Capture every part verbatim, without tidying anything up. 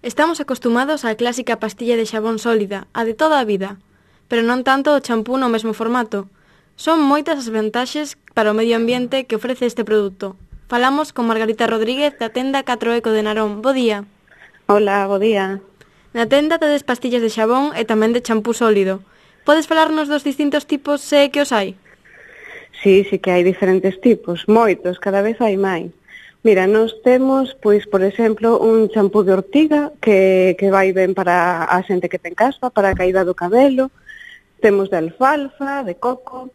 Estamos acostumados á clásica pastilla de xabón sólida, a de toda a vida, pero non tanto o champú no mesmo formato. Son moitas as vantaxes para o medio ambiente que ofrece este produto. Falamos con Margarita Rodríguez da tenda catro Eco de Narón. Bo día. Hola, bo día. Na tenda tedes pastillas de xabón e tamén de champú sólido. Podes falarnos dos distintos tipos se é que os hai? Sí, sí que hai diferentes tipos, moitos, cada vez hai máis. Mira, nós temos, pois, por exemplo, un champú de ortiga que, que vai ben para a xente que ten caspa, para a caída do cabelo. Temos de alfalfa, de coco.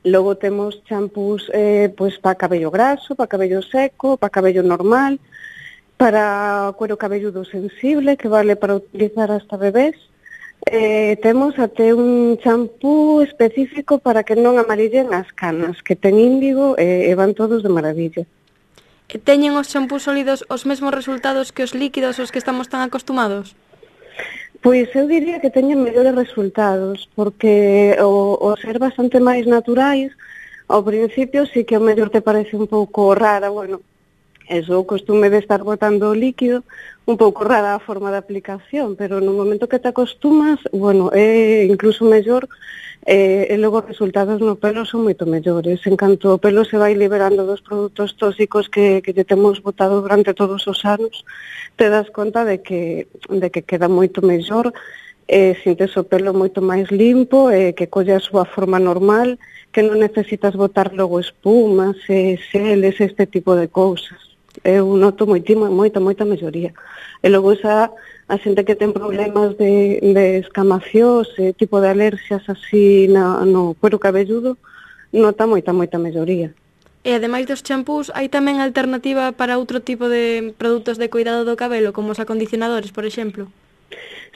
Logo temos champús eh, pois, para cabello graso, para cabello seco, para cabello normal, para cuero cabelludo sensible, que vale para utilizar hasta bebés. Eh, temos até un champú específico para que non amarillen as canas, que ten índigo e, e van todos de maravilla. E teñen os champús sólidos os mesmos resultados que os líquidos aos que estamos tan acostumados? Pois eu diría que teñen mellores resultados, porque o, o ser bastante máis naturais, ao principio sí que o mellor te parece un pouco rara, bueno, eso, o costume de estar botando o líquido, un pouco rara a forma de aplicación, pero no momento que te acostumas, bueno, é incluso mellor, eh, e logo os resultados no pelo son moito mellores. En canto o pelo se vai liberando dos produtos tóxicos que, que lle temos botado durante todos os anos, te das conta de que, de que queda moito mellor, eh, sintes o pelo moito máis limpo, eh, que colle a súa forma normal, que non necesitas botar logo espumas, eh, xeles, este tipo de cousas. Eu noto moitima, moita, moita melloría. E logo esa, a xente que ten problemas de, de escamacións, eh, tipo de alerxias así na, no cuero cabelludo, nota moita, moita melloría. E ademais dos champús, hai tamén alternativa para outro tipo de produtos de cuidado do cabelo, como os acondicionadores, por exemplo?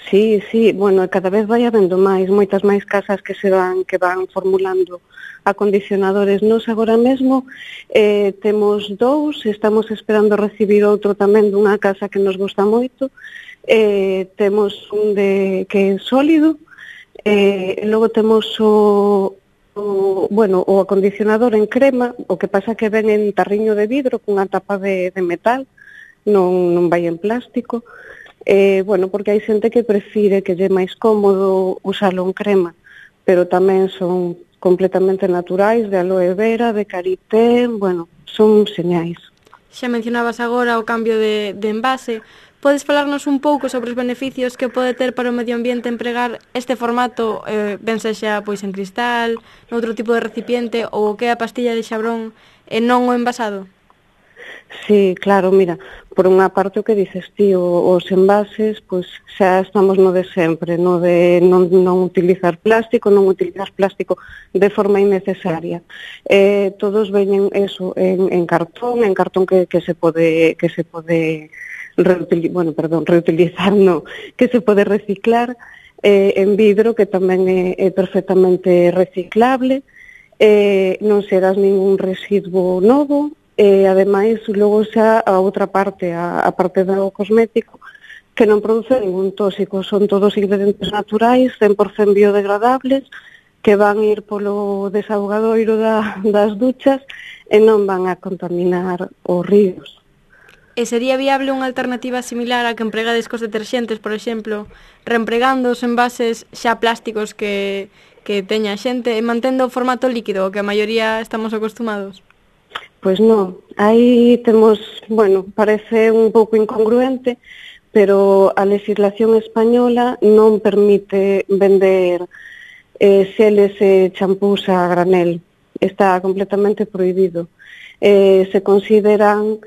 Sí, sí, bueno, cada vez vai habendo máis, moitas máis casas que se van que van formulando acondicionadores. Nos agora mesmo eh, temos dous, estamos esperando recibir outro tamén dunha casa que nos gusta moito. Eh, temos un de que é sólido, eh, e logo temos o, o, bueno, o acondicionador en crema, o que pasa que ven en tarriño de vidro cunha tapa de, de metal, non, non vai en plástico. Eh, bueno, porque hai xente que prefire que lle é máis cómodo usalo en crema, pero tamén son completamente naturais, de aloe vera, de karité, bueno, son señais. Xa mencionabas agora o cambio de, de envase. Podes falarnos un pouco sobre os beneficios que pode ter para o medio ambiente empregar este formato, eh, ben sexa pois en cristal, noutro tipo de recipiente, ou o que é a pastilla de xabrón e non o envasado? Sí, claro, mira, por unha parte o que dices ti, o, os envases, pois xa estamos no de sempre, no de non, non utilizar plástico, non utilizar plástico de forma innecesaria. Eh, todos veñen eso en, en cartón, en cartón que, que se pode que se pode reutilizar, bueno, perdón, reutilizar, no, que se pode reciclar, eh, en vidro que tamén é, é perfectamente reciclable, eh, non serás ningún residuo novo. E, ademais, logo xa a outra parte, a, a parte do cosmético, que non produce ningún tóxico, son todos ingredientes naturais, cen por cento biodegradables, que van ir polo desaugadoiro da, das duchas e non van a contaminar os ríos. E sería viable unha alternativa similar a que empregades cos deterxentes, por exemplo, reempregando os envases xa plásticos que, que teña a xente e mantendo o formato líquido, que a maioría estamos acostumados? Pois non, aí temos, bueno, parece un pouco incongruente, pero a legislación española non permite vender eh, xeles e champús a granel. Está completamente prohibido. Eh, se consideran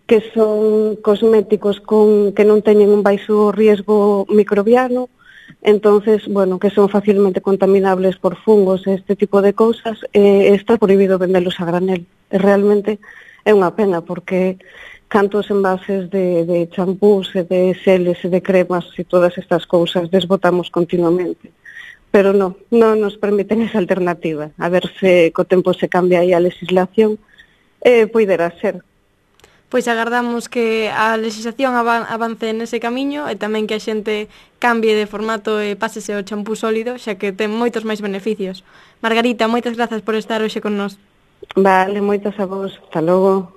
que son cosméticos con, que non teñen un baixo riesgo microbiano, entonces, bueno, que son facilmente contaminables por fungos e este tipo de cousas, eh, está prohibido vendelos a granel. E realmente é unha pena, porque cantos envases de, de champús e de xeles e de cremas e todas estas cousas desbotamos continuamente. Pero non, non nos permiten esa alternativa. A ver se co tempo se cambia aí a legislación, e eh, poderá ser. Pois agardamos que a legislación avance nese camiño e tamén que a xente cambie de formato e pásese ao champú sólido, xa que ten moitos máis beneficios. Margarita, moitas grazas por estar hoxe con nós. Vale, moitas a vos. Hasta logo.